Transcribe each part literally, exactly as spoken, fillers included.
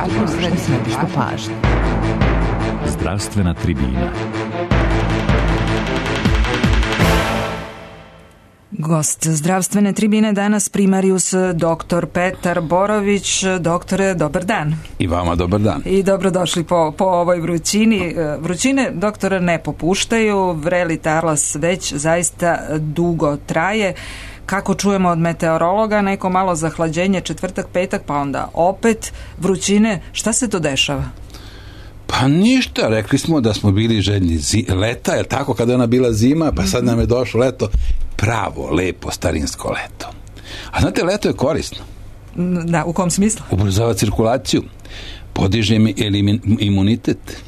središtu pažnje. Zdravstvena tribina. Gost zdravstvene tribine danas primarijus doktor Petar Borović. Doktore, dobar dan. I vama dobar dan. I dobrodošli po, po ovoj vrućini. Vrućine, doktore, ne popuštaju, vreli talas već zaista dugo traje. Kako čujemo od meteorologa, neko malo zahlađenje četvrtak, petak, pa onda opet vrućine. Šta se to dešava? Pa ništa, rekli smo da smo bili željni zi- leta, jer tako kada je ona bila zima, pa sad nam je došlo leto, pravo, lepo, starinsko leto. A znate, leto je korisno. Da, u kom smislu? Ubrzava cirkulaciju, podiže imunitet,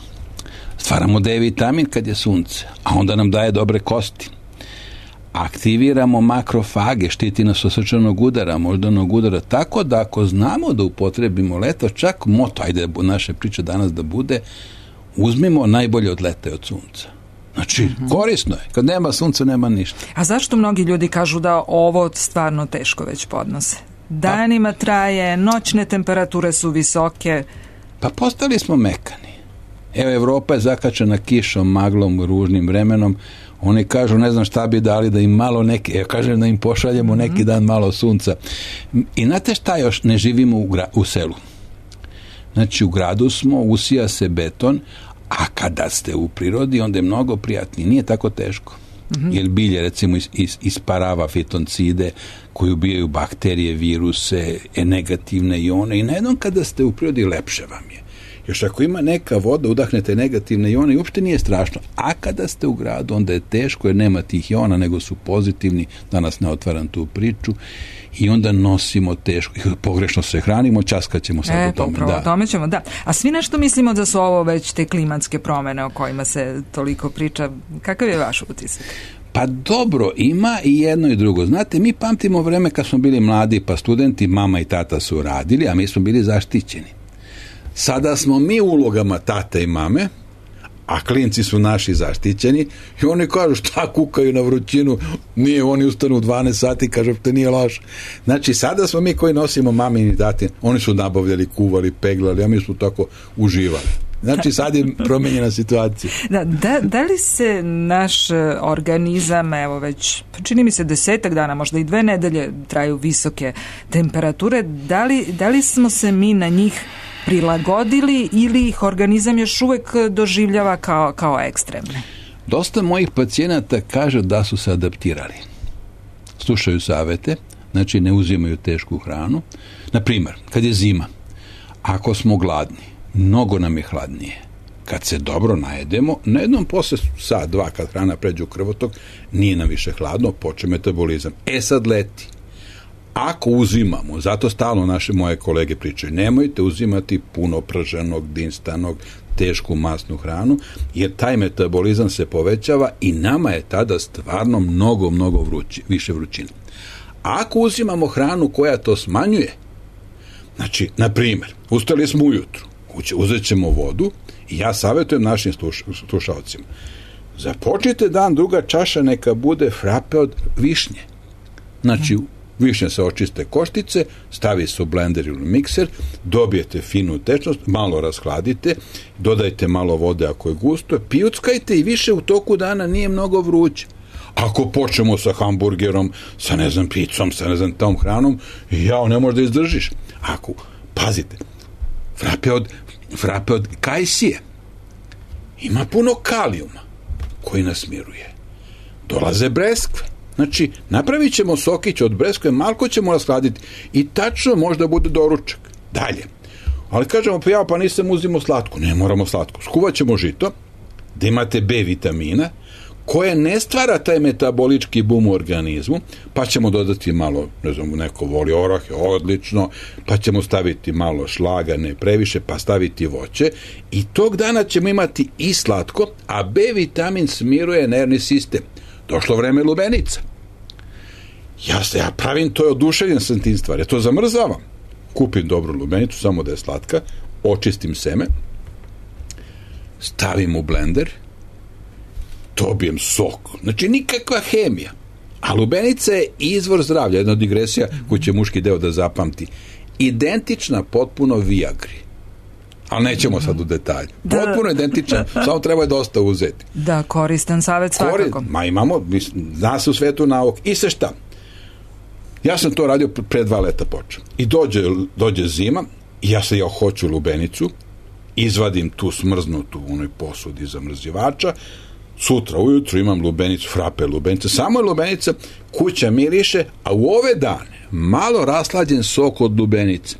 stvaramo D vitamin kad je sunce, a onda nam daje dobre kosti. Aktiviramo makrofage, štiti nas od srčanog udara, moždanog udara, tako da ako znamo da upotrebimo leto, čak moto, ajde naše priče danas da bude, uzmimo najbolje od leta i od sunca. Znači, mm-hmm. korisno je. Kad nema sunca, nema ništa. A zašto mnogi ljudi kažu da ovo stvarno teško već podnose? Danima pa, traje, noćne temperature su visoke. Pa postali smo mekani. Evo, Evropa je zakačena kišom, maglom, ružnim vremenom. Oni kažu, ne znam šta bi dali da im malo neki, ja kažem da im pošaljemo mm-hmm. neki dan malo sunca. I znate šta još, ne živimo u, gra, u selu. Znači, u gradu smo, usija se beton, a kada ste u prirodi, onda je mnogo prijatnije. Nije tako teško. Mm-hmm. Jer bilje, recimo, is, is, isparava fitoncide koji ubijaju bakterije, viruse, negativne ione i najednom kada ste u prirodi, lepše vam je. Još ako ima neka voda, udahnete negativne ione i uopšte nije strašno. A kada ste u gradu, onda je teško jer nema tih iona, nego su pozitivni, danas ne otvaram tu priču, i onda nosimo teško, pogrešno se hranimo, časkat ćemo sad e, o tome. Da. tome ćemo, da. A svi nešto mislimo da su ovo već te klimatske promene o kojima se toliko priča. Kakav je vaš utisak? Pa dobro, ima i jedno i drugo. Znate, mi pamtimo vreme kad smo bili mladi, pa studenti, mama i tata su radili, a mi smo bili zaštićeni. Sada smo mi u ulogama tate i mame, a klinci su naši zaštićeni i oni kažu šta kukaju na vrućinu, nije, oni ustanu u dvanaest sati, kažu te nije laž. Znači, sada smo mi koji nosimo mamin i tatin, oni su nabavljali, kuvali, peglali, a mi smo tako uživali. Znači, sad je promenjena situacija. Da, da, da li se naš organizam, evo već, čini mi se desetak dana, možda i dve nedelje traju visoke temperature, da li, da li smo se mi na njih prilagodili ili ih organizam još uvek doživljava kao, kao ekstremne? Dosta mojih pacijenata kaže da su se adaptirali. Slušaju savete, znači ne uzimaju tešku hranu. Naprimjer, kad je zima, ako smo gladni, mnogo nam je hladnije. Kad se dobro najedemo, na jednom posle sat, dva, kad hrana pređe u krvotok, nije nam više hladno, počne metabolizam. E sad leti. Ako uzimamo, zato stalno naše moje kolege pričaju, nemojte uzimati puno prženog, dinstanog, tešku masnu hranu, jer taj metabolizam se povećava i nama je tada stvarno mnogo, mnogo vrući, više vrućine. Ako uzimamo hranu koja to smanjuje, znači, na primjer, ustali smo ujutru, uzet ćemo vodu i ja savjetujem našim sluš, slušalcima, započnite dan, druga čaša neka bude frape od višnje. Znači, višnje se očiste koštice, stavi se u blender ili mikser, dobijete finu tečnost, malo rashladite, dodajte malo vode ako je gusto, pijuckajte i više u toku dana nije mnogo vruće. Ako počnemo sa hamburgerom, sa ne znam picom, sa ne znam tom hranom, jao, ne možeš da izdržiš. Ako, pazite, frape od, frape od kajsije ima puno kalijuma koji nas miruje. Dolaze breskve. Znači, napravit ćemo sokić od breskve, malko ćemo rashladiti i tačno možda bude doručak. Dalje. Ali kažemo, pa ja pa nisam uzimo slatko. Ne moramo slatko. Skuvat ćemo žito, da imate B vitamina, koje ne stvara taj metabolički bum u organizmu, pa ćemo dodati malo, ne znam, neko voli orahe, odlično, pa ćemo staviti malo šlaga, ne previše, pa staviti voće i tog dana ćemo imati i slatko, a B vitamin smiruje nervni sistem. Došlo vreme lubenica. Ja se, ja pravim to, je oduševljen sam tim stvari. Ja to zamrzavam. Kupim dobru lubenicu, samo da je slatka, očistim seme, stavim u blender, dobijem sok. Znači, nikakva hemija. A lubenica je izvor zdravlja, jedna digresija koju će muški deo da zapamti. Identična potpuno Viagri. ali nećemo sad u detalje. Potpuno identičan, samo treba je dosta uzeti. Da, koristan savjet svakako. Kori, ma imamo, zna se u svetu nauk. I se šta? Ja sam to radio pre dva leta počeo. I dođe, dođe zima, i ja se ja hoću lubenicu, izvadim tu smrznutu u onoj posudi zamrzivača, sutra ujutru imam lubenicu, frape lubenica, samo je lubenica, kuća miriše, a u ove dane malo raslađen sok od lubenice,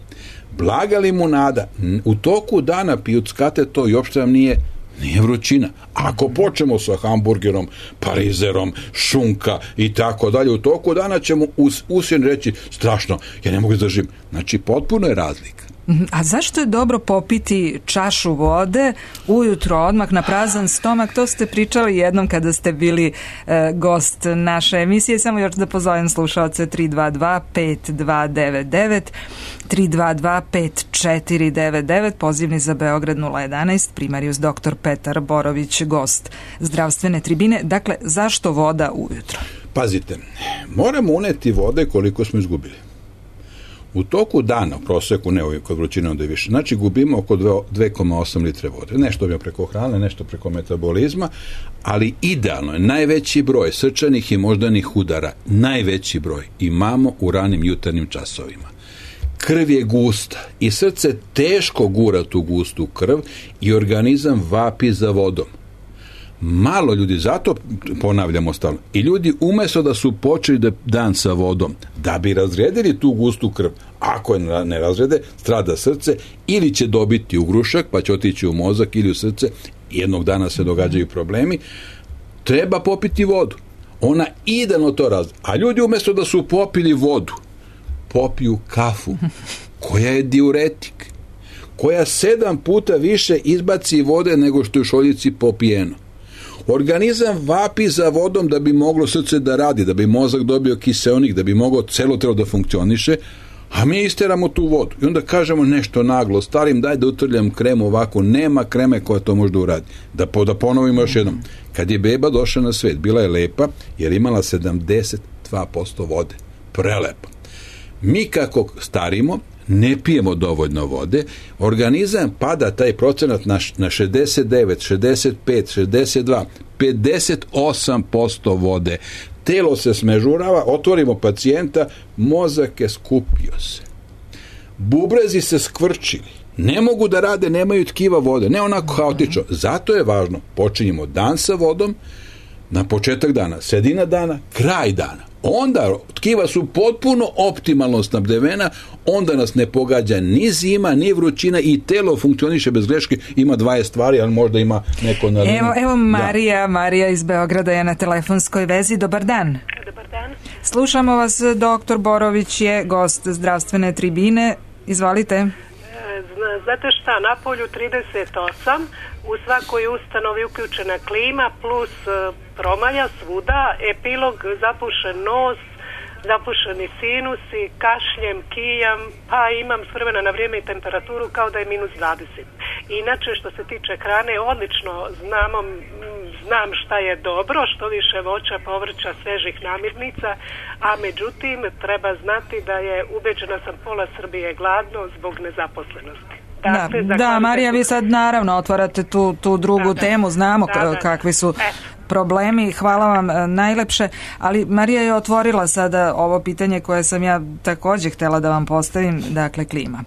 blaga limunada, u toku dana pijuckate to i uopšte vam nije, nije vrućina. Ako počnemo sa hamburgerom, parizerom, šunka i tako dalje, u toku dana ćemo us, usjen reći strašno, ja ne mogu izdržim. Znači, potpuno je razlika. A zašto je dobro popiti čašu vode ujutro odmah na prazan stomak? To ste pričali jednom kada ste bili e, gost naše emisije. Samo još da pozovem slušalce tri dva dva pet dva devet devet, tri dva dva pet četiri devet devet, pozivni za Beograd nula jedanaest, primarijus doktor Petar Borović, gost zdravstvene tribine. Dakle, zašto voda ujutro? Pazite, moramo uneti vode koliko smo izgubili. U toku dana, u proseku, ne ovim kod vrućine onda je više, znači gubimo oko dva zarez osam litre vode. Nešto je preko hrane, nešto preko metabolizma, ali idealno je najveći broj srčanih i moždanih udara, najveći broj imamo u ranim jutarnjim časovima. Krv je gusta i srce teško gura tu gustu krv i organizam vapi za vodom. Malo ljudi, zato ponavljamo stalno, i ljudi umjesto da su počeli da dan sa vodom, da bi razredili tu gustu krv, ako je ne razrede, strada srce, ili će dobiti ugrušak, pa će otići u mozak ili u srce, jednog dana se događaju problemi, treba popiti vodu. Ona idealno to razrede. A ljudi umjesto da su popili vodu, popiju kafu, koja je diuretik, koja sedam puta više izbaci vode nego što je u šoljici popijeno. Organizam vapi za vodom da bi moglo srce da radi, da bi mozak dobio kiseonik, da bi moglo celo telo da funkcioniše, a mi isteramo tu vodu. I onda kažemo nešto naglo, starim, daj da utrljam kremu ovako, nema kreme koja to može da uradi. Da, da ponovimo još jednom. Kad je beba došla na svet, bila je lepa jer imala sedamdeset dva posto vode. Prelepa. Mi kako starimo, ne pijemo dovoljno vode, organizam pada taj procenat na, na šezdeset devet, šezdeset pet, šezdeset dva, pedeset osam posto vode. Telo se smežurava, otvorimo pacijenta, mozak je skupio se. Bubrezi se skvrčili. Ne mogu da rade, nemaju tkiva vode. Ne onako haotično. Zato je važno, počinjemo dan sa vodom, na početak dana, sredina dana, kraj dana. Onda tkiva su potpuno optimalno snabdevena, onda nas ne pogađa ni zima, ni vrućina i telo funkcioniše bez greške, ima dvadeset stvari, ali možda ima neko na liniju. Evo, evo Marija, da. Marija iz Beograda je na telefonskoj vezi. Dobar dan. Dobar dan. Slušamo vas, doktor Borović je gost zdravstvene tribine. Izvolite. Znate šta, na polju trideset osam, u svakoj ustanovi uključena klima plus promalja svuda, epilog zapušen nos, zapušeni sinusi, kašljem, kijam, pa imam s vremena na vrijeme i temperaturu kao da je minus dvadeset. Inače, što se tiče hrane, odlično znamo, znam šta je dobro, što više voća, povrća, svežih namirnica, a međutim treba znati da je, ubeđena sam, pola Srbije gladno zbog nezaposlenosti. Dakle, da, da Marija, vi sad naravno otvarate tu, tu drugu da, temu, znamo da, da, kakvi su e. problemi, hvala vam najlepše, ali Marija je otvorila sada ovo pitanje koje sam ja također htjela da vam postavim, dakle klima.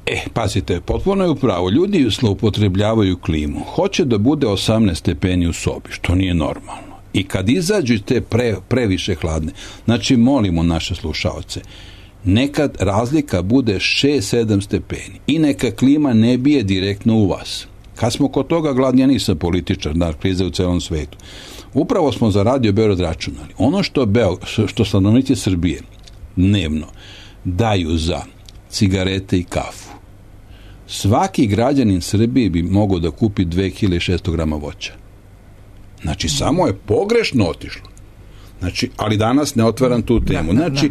E, pazite, potpuno je upravo, ljudi zloupotrebljavaju klimu, hoće da bude osamnaest stepeni u sobi, što nije normalno, i kad izađu te pre, previše hladne, znači molimo naše slušaoce, nekad razlika bude šest sedam stepeni i neka klima ne bije direktno u vas. Kad smo kod toga gladni, ja nisam političar, da, krize u celom svetu. Upravo smo za Radio Beograd računali. Ono što, Beo, što stanovnici Srbije dnevno daju za cigarete i kafu, svaki građanin Srbije bi mogao da kupi dve hiljade šesto grama voća. Znači, samo je pogrešno otišlo. Znači, ali danas ne otvaram tu temu. Znači,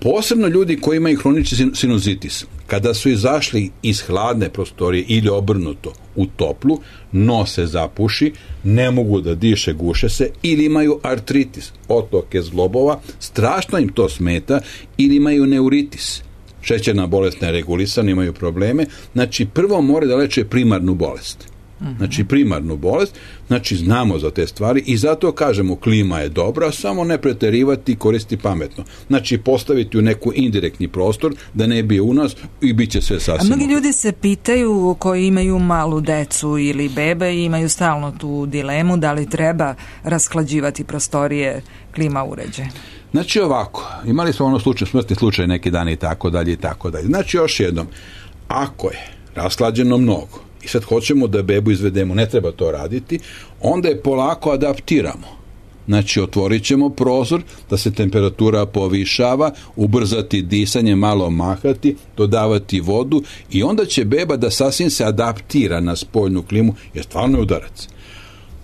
posebno ljudi koji imaju hronični sinuzitis, kada su izašli iz hladne prostorije ili obrnuto u toplu, nos se zapuši, ne mogu da diše, guše se, ili imaju artritis, otoke zglobova, strašno im to smeta, ili imaju neuritis, šećerna bolest neregulisana, imaju probleme. Znači, prvo mora da leče primarnu bolest. Znači, primarnu bolest, znači znamo za te stvari i zato kažemo klima je dobra, samo ne preterivati i koristiti pametno. Znači, postaviti u neku indirektni prostor da ne bi u nas i bit će sve sasvim. A mnogi ljudi se pitaju koji imaju malu decu ili bebe i imaju stalno tu dilemu da li treba rasklađivati prostorije klima uređaja. Znači ovako, imali smo ono slučaj, smrtni slučaj neki dan i tako dalje i tako dalje. Znači još jednom, ako je rasklađeno mnogo i sad hoćemo da bebu izvedemo, ne treba to raditi, onda je polako adaptiramo. Znači otvorit ćemo prozor da se temperatura povišava, ubrzati disanje, malo mahati, dodavati vodu i onda će beba da sasvim se adaptira na spoljnu klimu, jer stvarno je udarac.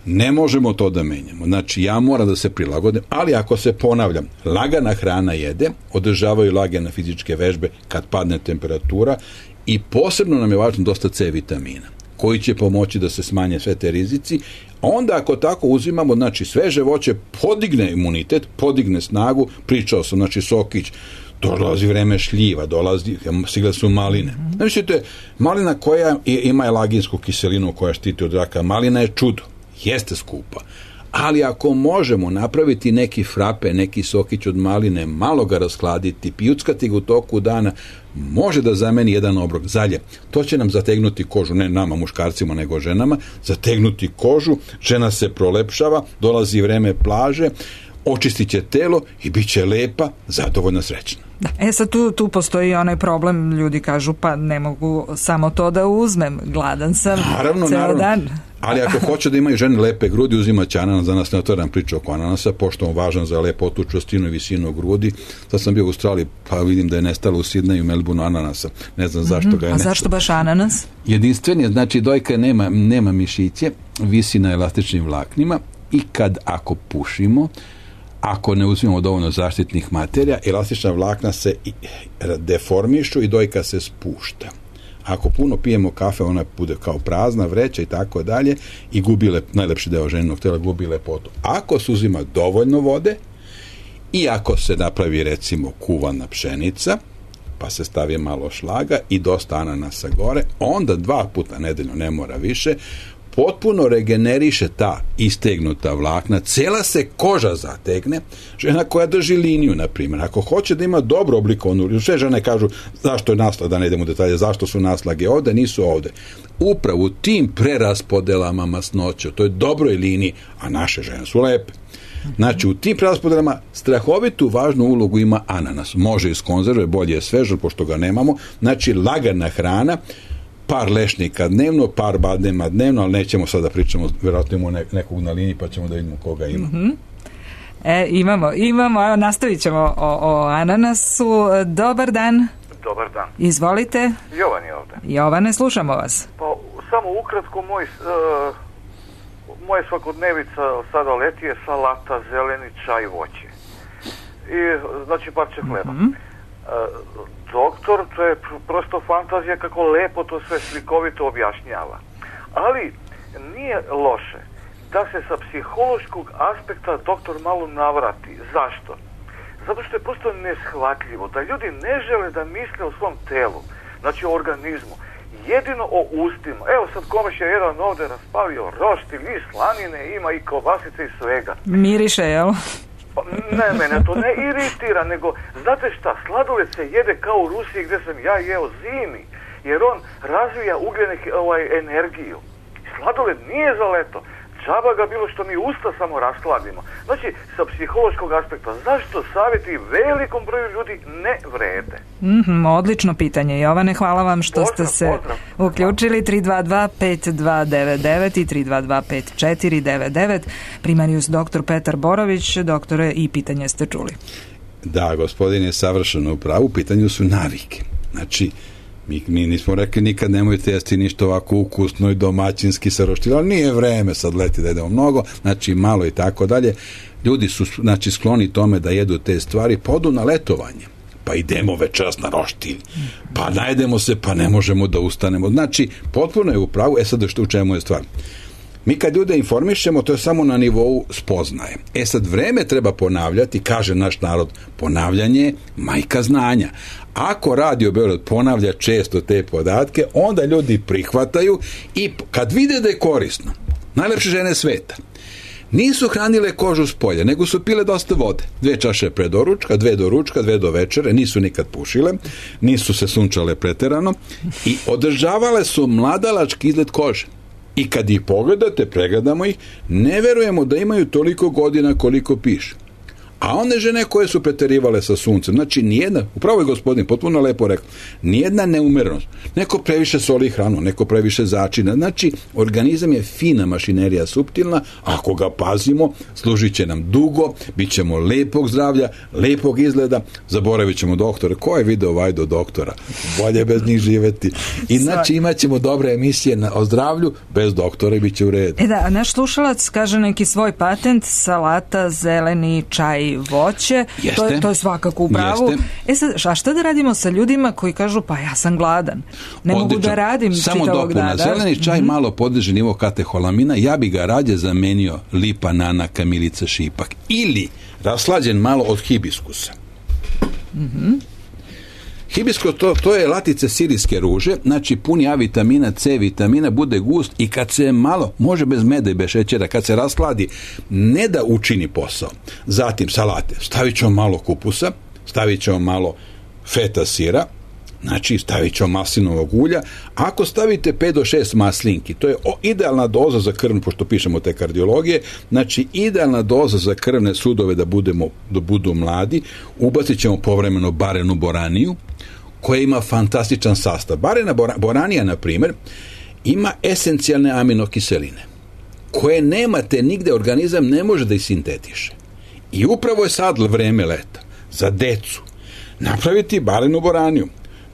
Ne možemo to da menjamo. Znači, ja moram da se prilagodim, ali ako se ponavljam, lagana hrana jede, održavaju lagane fizičke vežbe kad padne temperatura i posebno nam je važno dosta C vitamina, koji će pomoći da se smanje sve te rizici. Onda ako tako uzimamo, znači sveže voće podigne imunitet, podigne snagu, pričao sam, znači sokić, dolazi vreme šljiva, dolazi, stigle su maline. Znači, to je malina koja ima elaginsku kiselinu koja štiti od raka. Malina je čudo. Jeste skupa, ali ako možemo napraviti neki frape, neki sokić od maline, malo ga raskladiti, pijuckati ga u toku dana, može da zameni jedan obrok zalje. To će nam zategnuti kožu, ne nama muškarcima, nego ženama, zategnuti kožu, žena se prolepšava, dolazi vreme plaže, očistit će telo i bit će lepa, zadovoljna, srećna. Da. E sad tu, tu postoji onaj problem, ljudi kažu pa ne mogu samo to da uzmem, gladan sam naravno, ceo naravno. dan. Ali ako hoće da imaju žene lepe grudi, uzima će ananas, za nas ne otvaram priču oko ananasa, pošto on važan za lepotu, čvrstinu i visinu grudi. Sad sam bio u Australiji, pa vidim da je nestalo u Sidneju, Melbourneu ananasa. Ne znam zašto mm-hmm. ga je A nestalo. zašto baš ananas? Jedinstven je, znači dojka nema, nema mišiće, visi na elastičnim vlaknima i kad ako pušimo, ako ne uzmemo dovoljno zaštitnih materija, elastična vlakna se deformišu i dojka se spušta. Ako puno pijemo kafe, ona bude kao prazna vreća i tako dalje i gubi lep, najlepši deo ženinog tela, gubi lepotu. Ako se uzima dovoljno vode i ako se napravi recimo kuvana pšenica, pa se stavi malo šlaga i dosta ananasa gore, onda dva puta nedeljno, ne mora više, potpuno regeneriše ta istegnuta vlakna, cela se koža zategne, žena koja drži liniju, na primjer, ako hoće da ima dobro oblikovanu, sve žene kažu zašto je naslag, da ne idemo u detalje, zašto su naslage ovde, nisu ovde. Upravo u tim preraspodelama masnoće, to je dobroj liniji, a naše žene su lepe. Znači, u tim preraspodelama strahovitu važnu ulogu ima ananas. Može iz konzerve, bolje je sveže, pošto ga nemamo. Znači, lagana hrana, par lešnika dnevno, par badema dnevno, ali nećemo sada da pričamo, vjerojatno imamo nekog na liniji, pa ćemo da vidimo koga ima. Mm-hmm. E, imamo, imamo, evo, nastavit ćemo o, o ananasu. Dobar dan. Dobar dan. Izvolite. Jovan je ovde. Jovane, slušamo vas. Pa, samo ukratko, moj, uh, moja svakodnevica sada leti je salata, zeleni čaj, voće. I, znači, parče hleba. Mm-hmm. Uh, doktor, to je prosto fantazija kako lepo to sve slikovito objašnjava. Ali nije loše da se sa psihološkog aspekta doktor malo navrati. Zašto? Zato što je prosto neshvatljivo da ljudi ne žele da misle o svom telu, znači o organizmu, jedino o ustima. Evo sad Komeš je jedan ovde raspalio roštilj i slanine, ima i kobasice i svega. Miriše, jel? Ne, mene to ne iritira, nego znate šta, sladoled se jede kao u Rusiji gdje sam ja jeo zimi, jer on razvija ugljene ovaj, energiju. Sladoled nije za leto, džaba ga bilo što mi usta samo rasladimo. Znači, sa psihološkog aspekta, zašto savjeti velikom broju ljudi ne vrede? Mm-hmm, odlično pitanje, Jovane, hvala vam što pozdrav, ste se pozdrav. uključili. Tri dva dva pet dva devet devet i tri dva dva pet četiri devet devet. Primarius doktor Petar Borović. Doktore, i pitanje ste čuli. Da, gospodin je savršeno u pravu, u pitanju su navike. Znači, mi, mi nismo rekli nikad nemojte jesti ništa ovako ukusno i domaćinski sa roštiljem, ali nije vreme sad leti da jedemo mnogo, znači malo i tako dalje. Ljudi su znači skloni tome da jedu te stvari, podu na letovanje, pa idemo večeras na roštilj, pa najedemo se, pa ne možemo da ustanemo. Znači, potpuno je u pravu. E sad što u čemu je stvar? Mi kad ljude informišemo, to je samo na nivou spoznaje. E sad, vreme treba ponavljati, kaže naš narod, ponavljanje je majka znanja. Ako Radio Beograd ponavlja često te podatke, onda ljudi prihvataju i kad vide da je korisno, najlepše žene sveta, nisu hranile kožu s polja, nego su pile dosta vode. Dve čaše pre doručka, dve do ručka, dve do večere, nisu nikad pušile, nisu se sunčale preterano i održavale su mladalački izgled kože. I kad ih pogledate, pregledamo ih, ne verujemo da imaju toliko godina koliko piše. A one žene koje su preterivale sa suncem, znači nijedna, upravo je gospodin potpuno lepo rekao, nijedna neumerenost, neko previše soli hranu, neko previše začina, znači organizam je fina mašinerija, suptilna, ako ga pazimo, služit će nam dugo, bit ćemo lepog zdravlja, lepog izgleda, zaboravit ćemo doktore, ko je video Vajdo doktora, bolje bez njih živeti, i znači imat ćemo dobre emisije na, o zdravlju, bez doktora i bit će u redu. E da, naš slušalac kaže neki svoj patent, salata, zeleni, čaj, voće, to je, to je svakako u pravu. Jeste. E sad, a šta da radimo sa ljudima koji kažu, pa ja sam gladan, ne Odlično. mogu da radim Samo čitavog dana. Samo dopuna, zeleni čaj mm-hmm. malo podiže nivo kateholamina, ja bi ga rađe zamenio lipa, nana, kamilica, šipak, ili raslađen malo od hibiskusa. Mhm. Hibiskus, to, to je latice sirijske ruže, znači puni A vitamina, C vitamina, bude gust i kad se malo, može bez meda i bez šećera, kad se rasladi, ne da učini posao. Zatim salate, stavit ćemo malo kupusa, stavit ćemo malo feta sira, znači stavit ćemo maslinovog ulja. Ako stavite pet do šest maslinki, to je idealna doza za krvnu, pošto pišemo te kardiologije, znači idealna doza za krvne sudove da, budemo, da budu mladi. Ubacit ćemo povremeno barenu boraniju, koja ima fantastičan sastav. Barena boranija, na primjer, ima esencijalne aminokiseline, koje nemate nigde, organizam ne može da ih sintetiše. I upravo je sad vreme leta za decu napraviti barenu boraniju.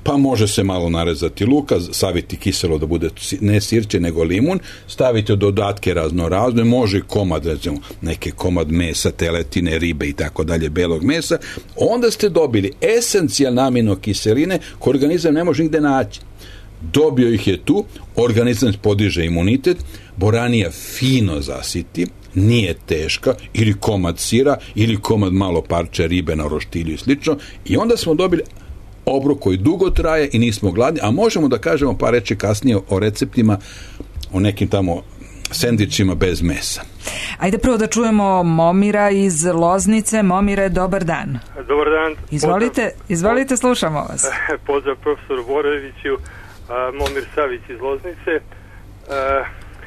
Pa može se malo narezati luka, saviti kiselo da bude ne sirće nego limun, stavite dodatke razno razne, može i komad, recimo neke komad mesa, teletine, ribe i tako dalje, belog mesa, onda ste dobili esencijalne aminokiseline koje organizam ne može nigde naći. Dobio ih je tu, organizam podiže imunitet, boranija fino zasiti, nije teška, ili komad sira, ili komad malo parče ribe na roštilju i slično, i onda smo dobili obrok koji dugo traje i nismo gladni, a možemo da kažemo par reči kasnije o receptima, o nekim tamo sendvičima bez mesa. Ajde prvo da čujemo Momira iz Loznice. Momire, dobar dan. Dobar dan. Izvolite, izvolite, slušamo vas. Pozdrav profesoru Boroviću, Momir Savić iz Loznice.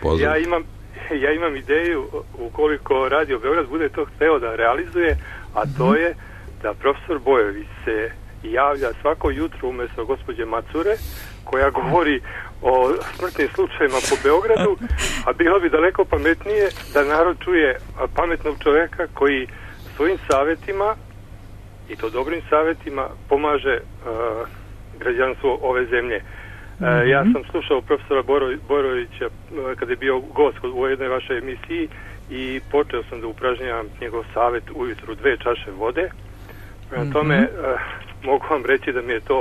Pozdrav. Ja imam, ja imam ideju, ukoliko Radio Beograd bude to hteo da realizuje, a to je da profesor Bojović se javlja svako jutro umjesto gospođe Macure, koja govori o smrtnim slučajima po Beogradu, a bilo bi daleko pametnije da narod čuje pametnog čovjeka koji svojim savjetima, i to dobrim savjetima, pomaže uh, građanstvu ove zemlje. Uh, mm-hmm. Ja sam slušao profesora Boro, Borovića uh, kada je bio gost u jednoj vašoj emisiji i počeo sam da upražnjavam njegov savjet ujutru dve čaše vode. Prema tome, mm-hmm. uh, mogu vam reći da mi je to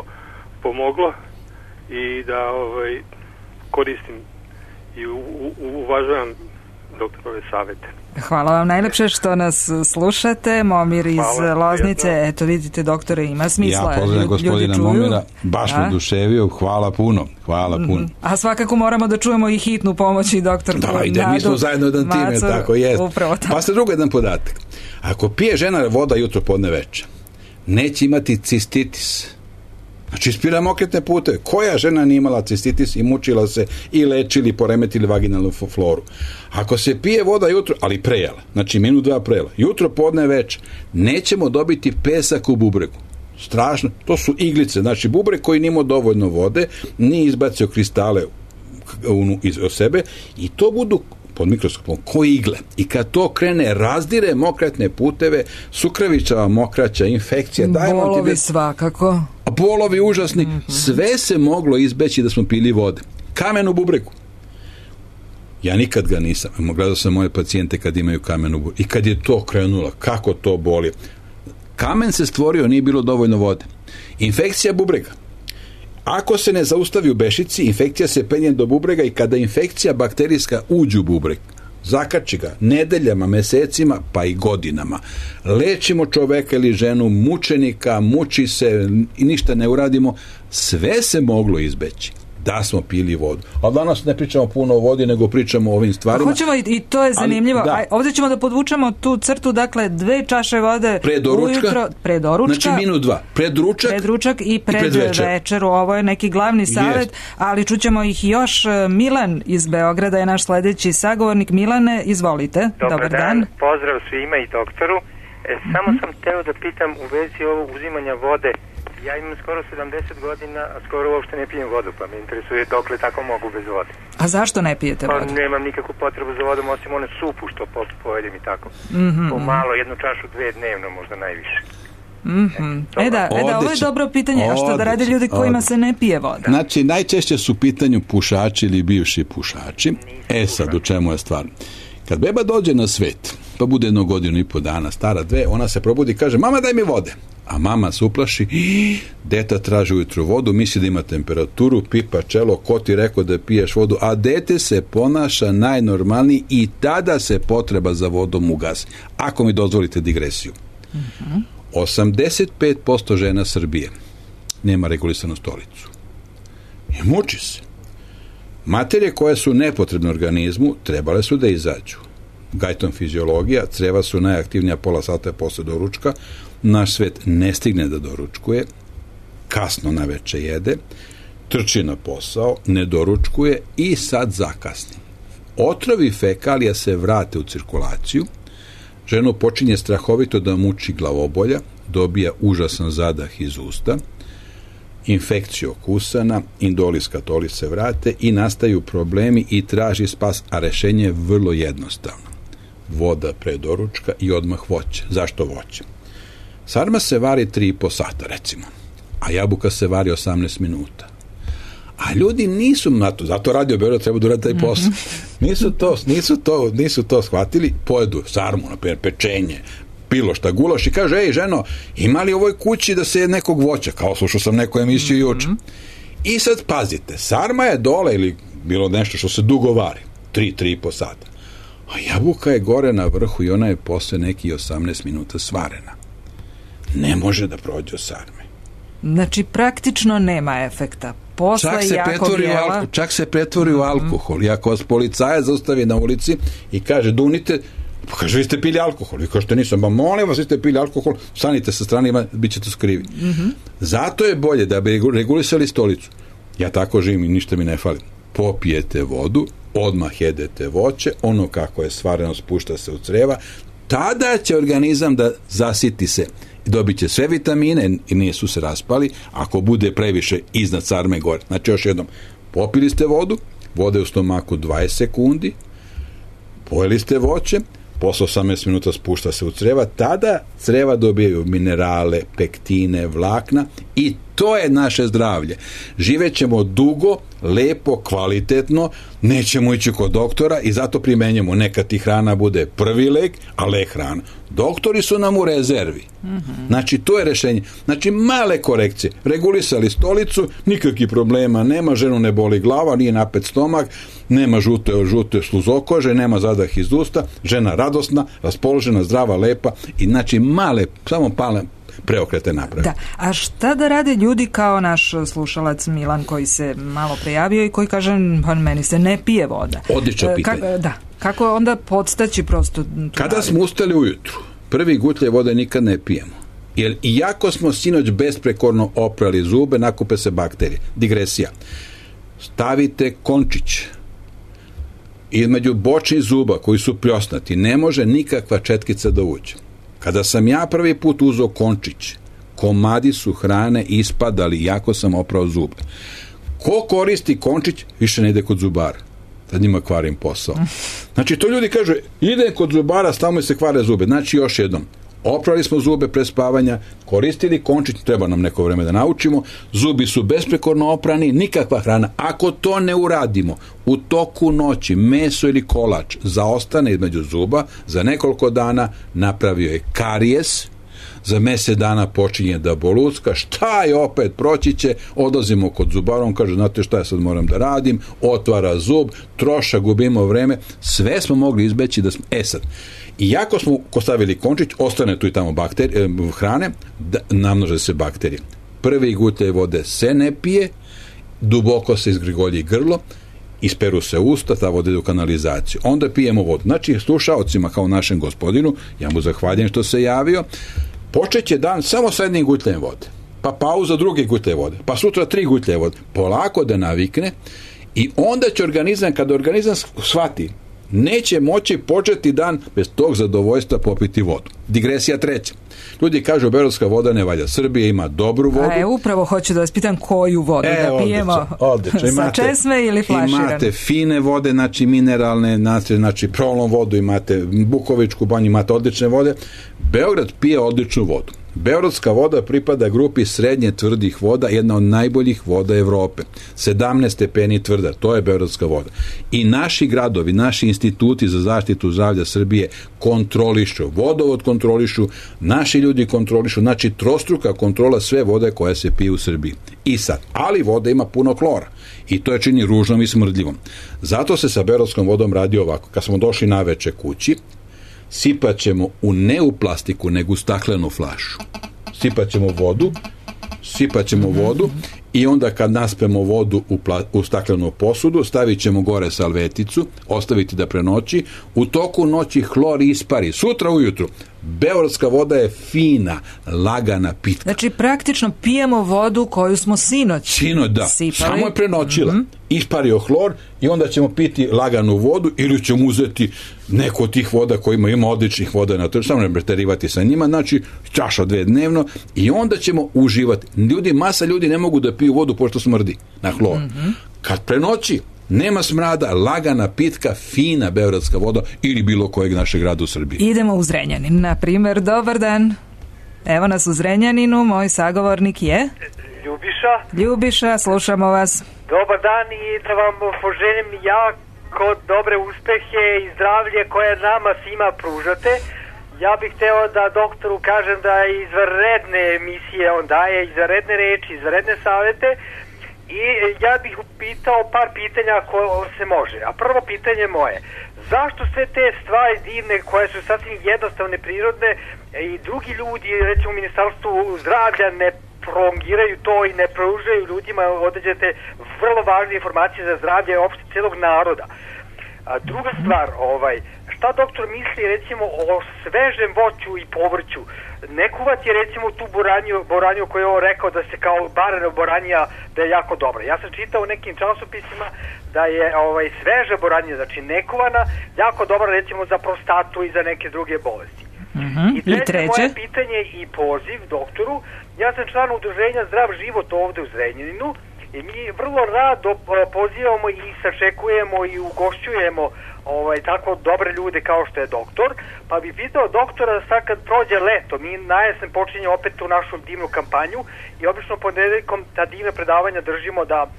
pomoglo i da ovaj, koristim i u, u, uvažavam doktorove savjete. Hvala vam najlepše što nas slušate. Momir iz Hvala, Loznice, jedno. Eto vidite doktore, ima smisla. Ja pozdravim gospodina Momira, baš me oduševio, hvala puno, hvala puno. Mm-hmm. A svakako moramo da čujemo i hitnu pomoć i doktor Da, ide, mi smo zajedno jedan time, tako jest. Pa ste drugo jedan podatak. Ako pije žena voda jutro, podne, večer, neće imati cistitis. Znači ispira mokretne puteve. Koja žena nije imala cistitis i mučila se i lečili, poremetili vaginalnu floru? Ako se pije voda jutro, ali prejela, znači minut dva prejela, jutro, podne, večer, nećemo dobiti pesak u bubregu. Strašno. To su iglice. Znači bubreg koji nije imao dovoljno vode, nije izbacio kristale iz sebe i to budu pod mikroskopom ko igle. I kad to krene, razdire mokretne puteve, sukravičava mokraća, infekcija, bolovi ti... svakako. A bolovi užasni. Mm-hmm. Sve se moglo izbeći da smo pili vode. Kamen u bubregu. Ja nikad ga nisam. Gledao sam moje pacijente kad imaju kamen u bubregu. I kad je to krenulo, kako to boli. Kamen se stvorio, nije bilo dovoljno vode. Infekcija bubrega. Ako se ne zaustavi u bešici, infekcija se penje do bubrega i kada infekcija bakterijska uđe u bubreg, zakači ga nedeljama, mesecima, pa i godinama. Lečimo čoveka ili ženu, mučenika, muči se i ništa ne uradimo, sve se moglo izbeći da smo pili vodu. A danas ne pričamo puno o vodi, nego pričamo o ovim stvarima. Hoćemo i, i to je zanimljivo. Ali, da. Aj, ovdje ćemo da podvučemo tu crtu, dakle, dve čaše vode pre doručka, ujutro, pre doručka. Znači minut dva. Pred ručak, pred ručak i pred, i pred večer. večeru. Ovo je neki glavni savjet, Jest. ali čućemo ih još. Milan iz Beograda je naš sledeći sagovornik. Milane, izvolite. Dobar, Dobar dan. dan. Pozdrav svima i doktoru. E, samo Mm-hmm. sam teo da pitam u vezi ovog uzimanja vode. Ja imam skoro sedamdeset godina, a skoro uopšte ne pijem vodu, pa me interesuje dokle tako mogu bez vode. A zašto ne pijete Pa vodu? nemam nikakvu potrebu za vodom, osim one supu što pojedem i tako. Mm-hmm. Po malo, jednu čašu, dve dnevno, možda najviše. Mm-hmm. E da, e da, ovo je dobro pitanje. A što da rade ljudi kojima se ne pije voda? Znači, najčešće su u pitanju pušači ili bivši pušači. E sad, u čemu je stvar? Kad beba dođe na svet, pa bude jedno godinu i po dana, stara dve, ona se probudi i kaže, mama daj mi vode. A mama se uplaši, deta traži ujutru vodu, misli da ima temperaturu, pipa čelo, ko ti rekao da piješ vodu, a dete se ponaša najnormalniji i tada se potreba za vodom ugasi. Ako mi dozvolite digresiju. Uh-huh. osamdeset pet posto žena Srbije nema regulisanu stolicu. I muči se. Materije koje su nepotrebne organizmu trebale su da izađu. Gajton fiziologija, creva su najaktivnija pola sata posle doručka, naš svet ne stigne da doručkuje, kasno na veče jede, trči na posao, ne doručkuje i sad zakasni. Otrovi fekalija se vrate u cirkulaciju, ženu počinje strahovito da muči glavobolja, dobija užasan zadah iz usta, infekciju kusana, indolis katolis se vrate i nastaju problemi i traži spas, a rešenje je vrlo jednostavno. Voda pre doručka i odmah voće. Zašto voće? Sarma se vari tri i po sata, recimo, a jabuka se vari osamnaest minuta. A ljudi nisu na to, zato Radio Beograd treba da uradi taj posao. Nisu to, nisu to, nisu to shvatili, pojedu sarmu, na primjer, pečenje, bilo šta, gulaš i kaže, ej ženo, ima li u ovoj kući da se je nekog voća, kao slušao sam neku emisiju juče. I sad pazite, sarma je dole ili bilo nešto što se dugo vari, tri, tri i po sata. A jabuka je gore na vrhu i ona je posle neki osamnaest minuta svarena. Ne može da prođe od sarme. Znači, praktično nema efekta. Posle čak se, pretvori jela... alko, čak se pretvori u alkohol. I ako vas policajac zaustavi na ulici i kaže, dunite, pa kaže, vi ste pili alkohol. Vi kažete, nisam, ba molim vas, vi ste pili alkohol, stanite sa strane, bit ćete skrivi. Mm-hmm. Zato je bolje da bi regulisali stolicu. Ja tako živim i ništa mi ne fali. Popijete vodu, odmah jedete voće, ono kako je stvareno spušta se u creva, tada će organizam da zasiti se. Dobit će sve vitamine i nisu se raspali, ako bude previše iznad sarme gore. Znači, još jednom, popili ste vodu, vode u stomaku dvadeset sekundi, pojeli ste voće, posle osamnaest minuta spušta se u creva, tada creva dobijaju minerale, pektine, vlakna i to je naše zdravlje. Živećemo dugo, lepo, kvalitetno, nećemo ići kod doktora i zato primenjamo, neka ti hrana bude prvi lek, a lek hrana. Doktori su nam u rezervi. Mm-hmm. Znači, to je rešenje. Znači, male korekcije. Regulisali stolicu, nikakvih problema nema, ženu ne boli glava, nije napet stomak, nema žute, žute sluzokože, nema zadah iz usta, žena radosna, raspoložena, zdrava, lepa i znači male, samo pale preokrete napravi. Da. A šta da rade ljudi kao naš slušalac Milan koji se malo prejavio i koji kaže, pa meni se ne pije voda. Odlično pitanje. Ka, da. Kako onda podstaći prosto? Kada smo ustali ujutru, prvi gutlje vode nikad ne pijemo. Jer iako smo sinoć besprekorno oprali zube, nakupe se bakterije. Digresija. Stavite končić između bočnih zuba koji su pljosnati, ne može nikakva četkica da uđe. Kada sam ja prvi put uzeo končić, komadi su hrane ispadali iako sam oprao zube. Ko koristi končić, više ne ide kod zubara. Tad njima kvarim posao. Znači, to ljudi kažu, ide kod zubara, stavimo se kvare zube. Znači, još jednom, oprali smo zube pre spavanja, koristili končić, treba nam neko vreme da naučimo, zubi su besprekorno oprani, nikakva hrana. Ako to ne uradimo, u toku noći meso ili kolač zaostane između zuba, za nekoliko dana napravio je karijes, za mjesec dana počinje da bolucka, šta je opet, proći će, odlazimo kod zubara, on kaže, znate šta ja sad moram da radim, otvara zub, troša, gubimo vreme, sve smo mogli izbeći da smo, e sad, iako smo stavili končić, ostane tu i tamo bakterije, hrane, da, namnože se bakterije. Prvi gutljaj vode se ne pije, duboko se izgrigolji grlo, isperu se usta, ta voda ide u kanalizaciju. Onda pijemo vodu. Znači, slušaocima kao našem gospodinu, ja mu zahvaljujem što se javio, počeće dan samo sa jednim gutljajem vode. Pa pauza drugi gutljaj vode. Pa sutra tri gutljaje vode. Polako da navikne i onda će organizam, kada organizam shvati, neće moći početi dan bez tog zadovoljstva popiti vodu. Digresija treća. Ljudi kažu, beogradska voda ne valja. Srbija ima dobru vodu. A je, upravo hoću da vas pitam koju vodu e, da pijemo. Odlično, odlično. Imate, sa česme ili flaširane? Imate fine vode, znači mineralne, znači prolom vodu, imate Bukovičku banju, imate odlične vode. Beograd pije odličnu vodu. Beogradska voda pripada grupi srednje tvrdih voda, jedna od najboljih voda Evrope. sedamnaest stepeni tvrda, to je beogradska voda. I naši gradovi, naši instituti za zaštitu zdravlja Srbije kontrolišu, vodovod kontrolišu, naši ljudi kontrolišu, znači trostruka kontrola sve vode koja se pije u Srbiji. I sad, ali voda ima puno klora i to je čini ružnom i smrdljivom. Zato se sa beogradskom vodom radi ovako. Kad smo došli naveče kući, sipat ćemo u ne u plastiku, nego u staklenu flašu. Sipat ćemo vodu, sipat ćemo vodu i onda kad naspemo vodu u, pla, u staklenu posudu, stavit ćemo gore salveticu, ostaviti da prenoći, u toku noći hlor ispari. Sutra ujutru beogradska voda je fina, lagana, pitka. Znači praktično pijemo vodu koju smo sinoć Sinoć, da. sipali. Samo je prenoćila. Mm-hmm. Ispario hlor i onda ćemo piti laganu vodu ili ćemo uzeti neku od tih voda kojima ima odličnih voda na tržištu, samo ne preterivati sa njima, znači čaša dve dnevno i onda ćemo uživati. Ljudi, masa ljudi ne mogu da piju vodu pošto smrdi na hlor. Mm-hmm. Kad prenoći, nema smrada, lagana, pitka, fina beogradska voda ili bilo kojeg našeg grada u Srbiji. Idemo u Zrenjanin, na primjer. Dobar dan. Evo nas u Zrenjaninu, moj sagovornik je Ljubiša. Ljubiša, slušamo vas. Dobar dan i da vam poželim jako dobre uspehe i zdravlje koje nama svima pružate. Ja bih hteo da doktoru kažem da je izvanredne emisije on daje, izvanredne reči, izvanredne savete. I ja bih upitao par pitanja koje se može. A prvo pitanje moje, zašto sve te stvari divne koje su sasvim jednostavne, prirodne i drugi ljudi, recimo u Ministarstvu zdravlja, ne prolongiraju to i ne pružaju ljudima određene vrlo važne informacije za zdravlje uopšte celog naroda? A druga stvar, ovaj, šta doktor misli recimo o svežem voću i povrću? Ne kuvati recimo tu boranju, boranju koju je on rekao da se kao barana boranija da je jako dobra. Ja sam čitao u nekim časopisima da je ovaj, sveža boranja, znači nekuvana, jako dobra recimo za prostatu i za neke druge bolesti. Mm-hmm. I treće, I treće moje pitanje i poziv doktoru, ja sam član udruženja Zdrav život ovde u Zrenjaninu i mi vrlo rado pozivamo i sačekujemo i ugošćujemo ovaj, tako dobre ljude kao što je doktor, pa bi pitao doktora sad kad prođe leto, mi na jesen počinje opet u našu divnu kampanju i obično ponedeljkom ta divna predavanja držimo da a,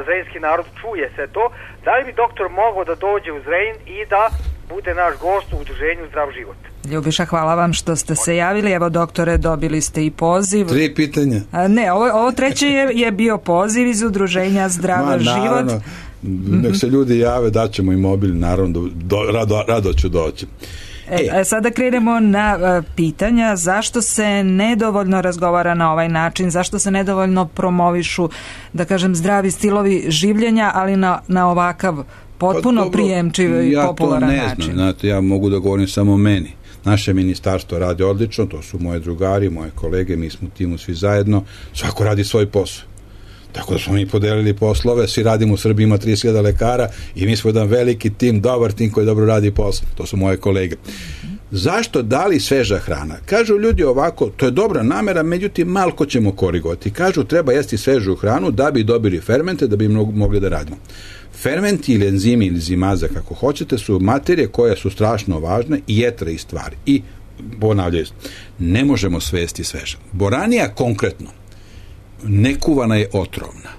zrenjinski narod čuje sve to, da li bi doktor mogao da dođe u Zrenjin i da bude naš gost u udruženju Zdrav život? Ljubiša, hvala vam što ste se javili. Evo, doktore, dobili ste i poziv. Tri pitanja. A, ne, ovo, ovo treće je, je bio poziv iz udruženja Zdrav Ma, život. Naravno. Nek se ljudi jave, daćemo i mobil, naravno, do, rado, rado ću doći. E, e. Sada krenemo na uh, pitanja. Zašto se nedovoljno razgovara na ovaj način? Zašto se nedovoljno promovišu, da kažem, zdravi stilovi življenja, ali na, na ovakav potpuno pa, prijemčiv i ja popularan način? Ja to ne način? znam, znate, ja mogu da govorim samo meni. Naše ministarstvo radi odlično, to su moje drugari, moje kolege, mi smo u timu svi zajedno, svako radi svoj posao. Tako da smo mi podelili poslove, svi radimo u Srbiji, ima trideset hiljada lekara i mi smo jedan veliki tim, dobar tim koji dobro radi posao. To su moje kolege. Zašto dali sveža hrana? Kažu ljudi ovako, to je dobra namera, međutim malko ćemo korigovati. Kažu treba jesti svežu hranu da bi dobili fermente, da bi mogli da radimo. Fermenti ili enzimi ili zimaza, kako hoćete, su materije koje su strašno važne i jetre i stvari. I ponavljaju, ne možemo svesti sveže. Boranija konkretno, nekuvana je otrovna.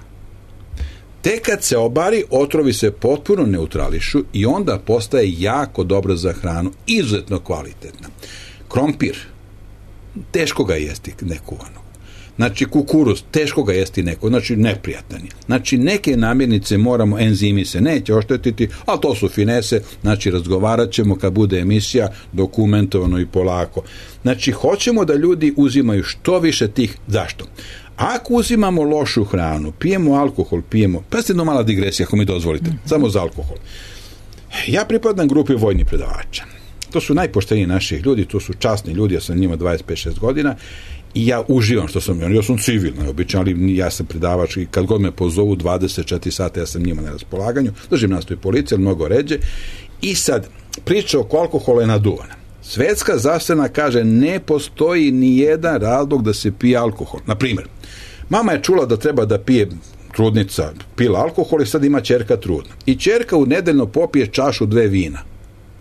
Tek kad se obari, otrovi se potpuno neutrališu i onda postaje jako dobra za hranu, izuzetno kvalitetna. Krompir, teško ga jesti nekuvano. Znači kukuruz, teško ga jesti neko, znači neprijatan je. Znači neke namirnice moramo, enzimi se neće oštetiti, ali to su finese, znači razgovarat ćemo kad bude emisija, dokumentovano i polako. Znači hoćemo da ljudi uzimaju što više tih, zašto? Ako uzimamo lošu hranu, pijemo alkohol, pijemo, pa ste jedno mala digresija ako mi dozvolite, mm-hmm. samo za alkohol. Ja pripadam grupi vojnih predavača. To su najpošteniji naših ljudi, to su časni ljudi, ja sam njima dvadeset pet šest godina i ja uživam što sam, ja sam civilno obično, ali ja sam predavač i kad god me pozovu dvadeset četiri sata ja sam njima na raspolaganju, držim nastoji policije, ali mnogo ređe. I sad, priča oko alkohola je naduvana. Svetska zdravstvena kaže ne postoji ni jedan razlog da se pije alkohol. Na primjer, mama je čula da treba da pije trudnica, pila alkohol i sad ima ćerka trudna. I ćerka u nedeljno popije čašu dve vina.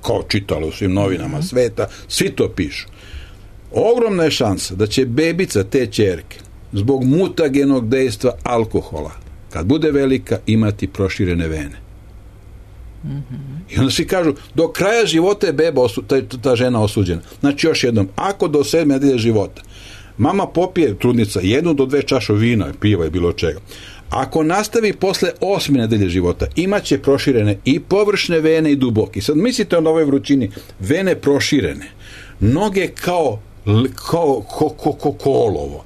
Kao čitalo u svim novinama sveta, svi to pišu. Ogromna je šansa da će bebica te ćerke zbog mutagenog dejstva alkohola, kad bude velika, imati proširene vene. Mm-hmm. I onda svi kažu, do kraja života je beba osu, ta, ta žena osuđena. Znači još jednom, ako do sedme nedelje života mama popije, trudnica, jednu do dve čaše vina, piva i bilo čega, ako nastavi posle osme nedelje života, imaće proširene i površne vene i duboke. I sad mislite na ovoj vrućini, vene proširene, noge kao kao ko, ko, ko, kolovo.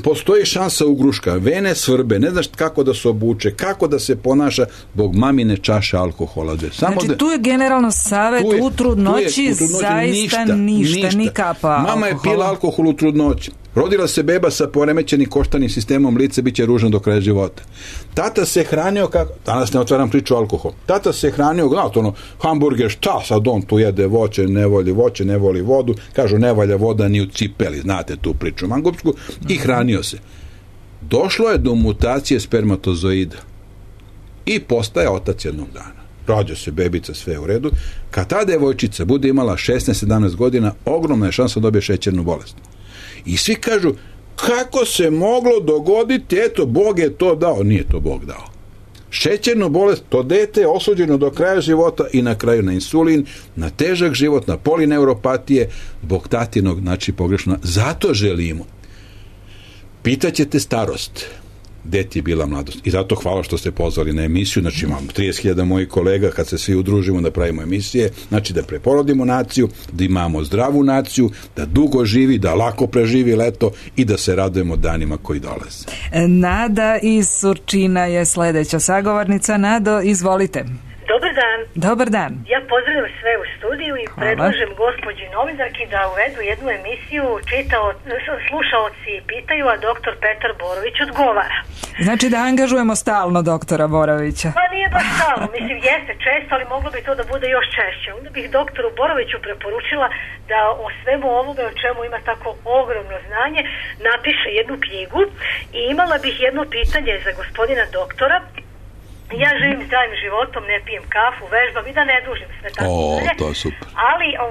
Postoji šansa ugruška, vene svrbe, ne znaš kako da se obuče, kako da se ponaša zbog mamine čaše alkohola. Samo znači da, tu je generalno savjet u trudnoći zaista ništa, ništa, ništa, ni kapa mama alkohola. Je pila alkohol u trudnoći. Rodila se beba sa poremećenim koštanim sistemom, lice bit će ružno do kraja života. Tata se hranio kako, danas ne otvaram priču o alkoholu, tata se hranio, znate ono, hamburger, šta sad on tu jede voće, ne voli voće, ne voli vodu, kažu ne valja voda ni u cipeli, znate tu priču mangupsku, i hranio se. Došlo je do mutacije spermatozoida i postaje otac jednog dana. Rađa se bebica, sve u redu. Kad ta devojčica bude imala šesnaest sedamnaest godina, ogromna je šansa da dobije šećernu bolest. I svi kažu, kako se moglo dogoditi, eto, Bog je to dao. Nije to Bog dao. Šećernu bolest, to dete je osuđeno do kraja života i na kraju na insulin, na težak život, na polineuropatije, zbog tatinog, znači pogrešno. Zato želimo. Pitaćete starost. Deti je bila mladost. I zato hvala što ste pozvali na emisiju. Znači imamo trideset hiljada mojih kolega kad se svi udružimo da pravimo emisije. Znači da preporodimo naciju, da imamo zdravu naciju, da dugo živi, da lako preživi leto i da se radujemo danima koji dolaze. Nada iz Surčina je sledeća sagovornica. Nado, izvolite. Dobar dan. Dobar dan. Ja pozdravljam sve u studiju i Hvala. predlažem gospođi novinarki da uvedu jednu emisiju, čitao, slušaoci pitaju, a doktor Petar Borović odgovara. Znači da angažujemo stalno doktora Borovića. Pa nije baš stalno, mislim jeste često, ali moglo bi to da bude još češće. Onda bih doktoru Boroviću preporučila da o svemu ovome o čemu ima tako ogromno znanje napiše jednu knjigu i imala bih jedno pitanje za gospodina doktora. Ja živim zdravim životom, ne pijem kafu, vežbam i da ne dužim sve tako. O, to je super. Ali o,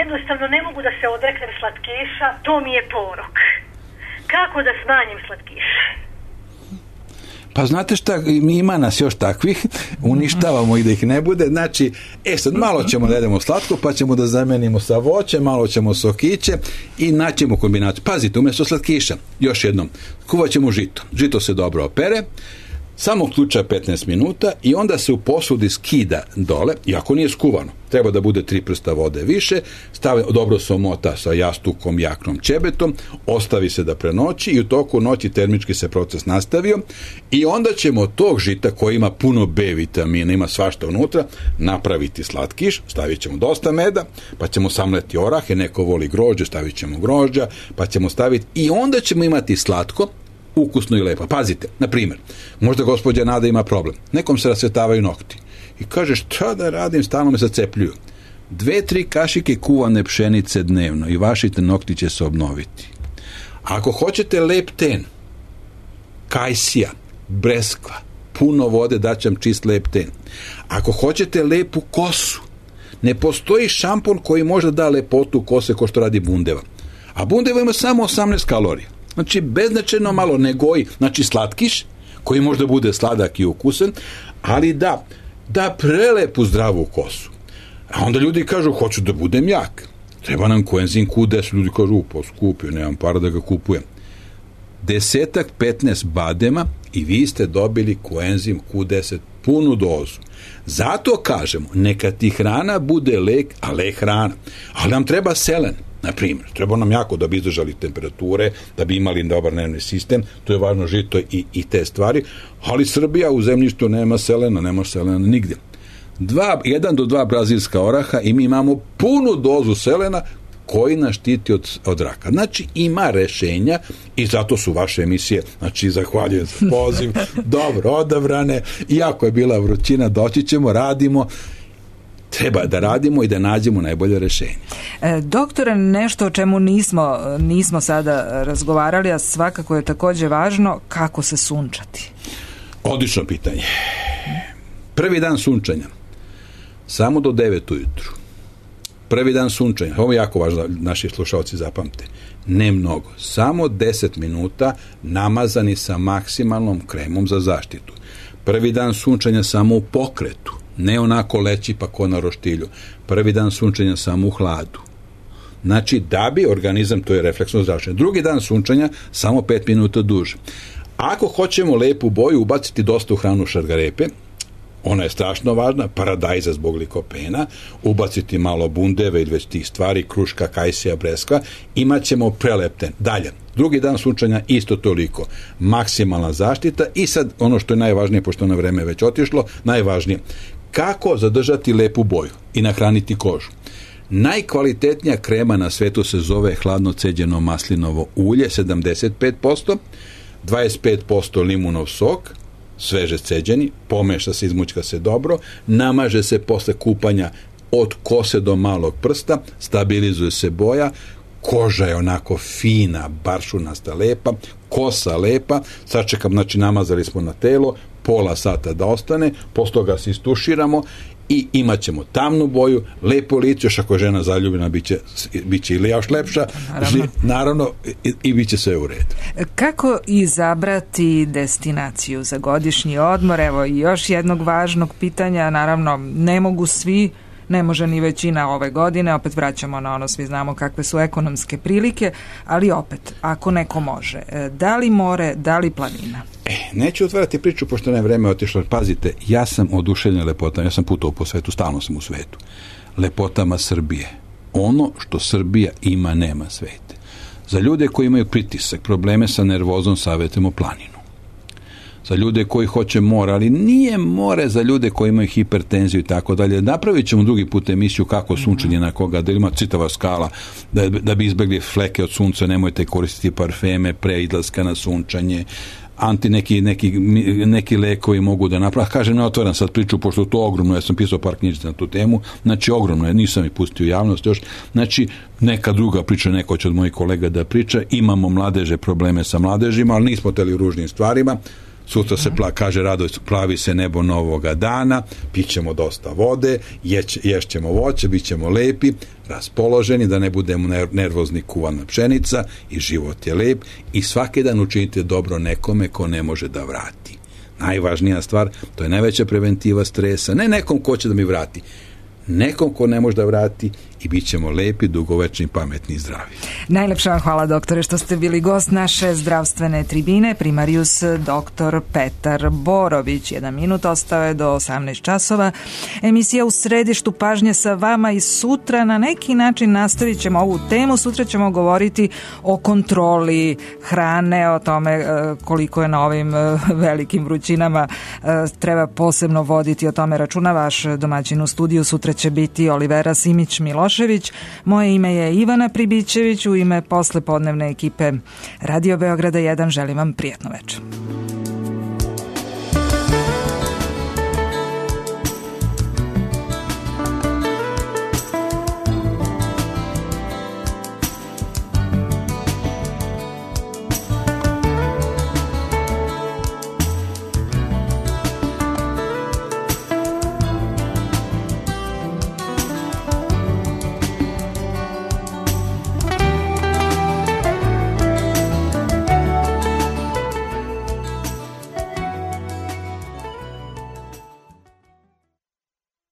jednostavno ne mogu da se odreknem slatkiša, to mi je porok. Kako da smanjim slatkiše? Pa znate šta, ima nas još takvih, uništavamo ih da ih ne bude, znači, e sad malo ćemo da jedemo slatko, pa ćemo da zamenimo sa voće, malo ćemo sokiće i naćemo kombinaciju. Pazite, umjesto slatkiša, još jednom, kuvat ćemo žito. Žito se dobro opere, samo ključa petnaest minuta i onda se u posudi skida dole, iako nije skuvano, treba da bude tri prsta vode više, stavi, dobro se omota sa jastukom, jaknom ćebetom, ostavi se da prenoći i u toku noći termički se proces nastavio i onda ćemo od tog žita koji ima puno B vitamina, ima svašta unutra, napraviti slatkiš, stavit ćemo dosta meda, pa ćemo samleti orahe, neko voli grožđe, stavit ćemo grožđa, pa ćemo staviti i onda ćemo imati slatko, ukusno i lepo. Pazite, na primjer, možda gospođa Nada ima problem. Nekom se rasvetavaju nokti. I kaže, šta da radim, stalno me zacepljuju. Dve, tri kašike kuvane pšenice dnevno i vaši nokti će se obnoviti. Ako hoćete lep ten, kajsija, breskva, puno vode, daćam čist lep ten. Ako hoćete lepu kosu, ne postoji šampon koji može da lepotu kose ko što radi Bundeva. A Bundeva ima samo osamnaest kalorija. Znači, beznačajno malo ne goji, znači slatkiš, koji možda bude sladak i ukusan, ali da, da prelepu zdravu kosu. A onda ljudi kažu, hoću da budem jak. Treba nam koenzim Q deset, ljudi kažu, upo, skupio, nemam para da ga kupujem. Desetak, petnaest badema i vi ste dobili koenzim Q deset punu dozu. Zato kažemo, neka ti hrana bude lek, a lek hrana. Ali nam treba selen, na primjer. Treba nam jako da bi izdržali temperature, da bi imali dobar nervni sistem, to je važno žito i, i te stvari, ali Srbija u zemljištu nema selena, nema selena nigdje. Dva, jedan do dva brazilska oraha i mi imamo punu dozu selena koji nas štiti od, od raka. Znači, ima rešenja i zato su vaše emisije, znači, zahvaljujem za poziv, dobro odabrane, iako je bila vrućina, doći ćemo, radimo, treba da radimo i da nađemo najbolje rešenje. E, doktore, nešto o čemu nismo, nismo sada razgovarali, a svakako je također važno, kako se sunčati? Odlično pitanje. Prvi dan sunčanja, samo do devet ujutru. Prvi dan sunčanja, ovo je jako važno, naši slušalci zapamte, ne mnogo, samo deset minuta namazani sa maksimalnom kremom za zaštitu. Prvi dan sunčanja samo u pokretu, ne onako leći pa ko na roštilju. Prvi dan sunčanja samo u hladu. Znači, da bi organizam, to je refleksno zračenje. Drugi dan sunčanja samo pet minuta duže. Ako hoćemo lepu boju, ubaciti dosta u hranu šargarepe, ona je strašno važna, paradajza zbog likopena, ubaciti malo bundeve ili već tih stvari, kruška, kajsija, breskva, imat ćemo prelepten. Dalje, drugi dan sunčanja isto toliko, maksimalna zaštita i sad ono što je najvažnije, pošto na vreme već otišlo, najvažnije, kako zadržati lepu boju i nahraniti kožu. Najkvalitetnija krema na svetu se zove hladno ceđeno maslinovo ulje, sedamdeset pet posto, dvadeset pet posto limunov sok, sveže ceđeni, pomeša se, izmućka se dobro, namaže se posle kupanja od kose do malog prsta, stabilizuje se boja, koža je onako fina, baršunasta, lepa, kosa lepa, sačekam, znači namazali smo na telo, pola sata da ostane, posle toga se istuširamo i imat ćemo tamnu boju, lepo lice, još ako je žena zaljubljena, bit će, bit će ili još lepša, naravno, naravno i, i bit će sve u redu. Kako izabrati destinaciju za godišnji odmor? Evo i još jednog važnog pitanja, naravno ne mogu svi, ne može ni većina ove godine, opet vraćamo na ono, svi znamo kakve su ekonomske prilike, ali opet, ako neko može, da li more, da li planina? E, neću otvarati priču, pošto ne vreme otišlo. Pazite, ja sam oduševljen lepotama, ja sam putovao po svetu, stalno sam u svetu. Lepotama Srbije. Ono što Srbija ima, nema svete. Za ljude koji imaju pritisak, probleme sa nervozom, savjetujemo planinu. Za ljude koji hoće more, ali nije more za ljude koji imaju hipertenziju i tako dalje. Napravit ćemo drugi put emisiju kako sunčanje na koga, da ima čitava skala, da, da bi izbjegli fleke od sunca, nemojte koristiti parfeme pre izlaska na sunčanje, anti neki, neki, neki lekovi mogu da napraviti. Kažem, ne otvaram sad priču, pošto to ogromno, ja sam pisao par knjižica na tu temu, znači ogromno je, nisam ih pustio u javnost još, znači neka druga priča, neko će od mojih kolega da priča, imamo mladeže, probleme sa mladežima, ali nismo teli u ružnim stvarima. Sutra se pla, kaže Radoj, plavi se nebo novoga dana, pićemo dosta vode, jeć, ješćemo voće, bit ćemo lepi, raspoloženi, da ne budemo nervozni kuvana pšenica i život je lep i svaki dan učinite dobro nekome ko ne može da vrati. Najvažnija stvar, to je najveća preventiva stresa, ne nekom ko će da mi vrati, nekom ko ne može da vrati i bit ćemo lepi, dugovečni, pametni i zdravi. Najlepša vam hvala, doktore, što ste bili gost naše zdravstvene tribine. Primarijus doktor Petar Borović. Jedan minut ostao je do osamnaest časova. Emisija U središtu pažnje sa vama i sutra na neki način nastavit ćemo ovu temu. Sutra ćemo govoriti o kontroli hrane, o tome koliko je na ovim velikim vrućinama treba posebno voditi o tome računa. Vaš domaćin u studiju sutra će biti Olivera Simić-Milošević. Moje ime je Ivana Pribićević. U ime poslepodnevne ekipe Radio Beograda jedan želim vam prijatno večer.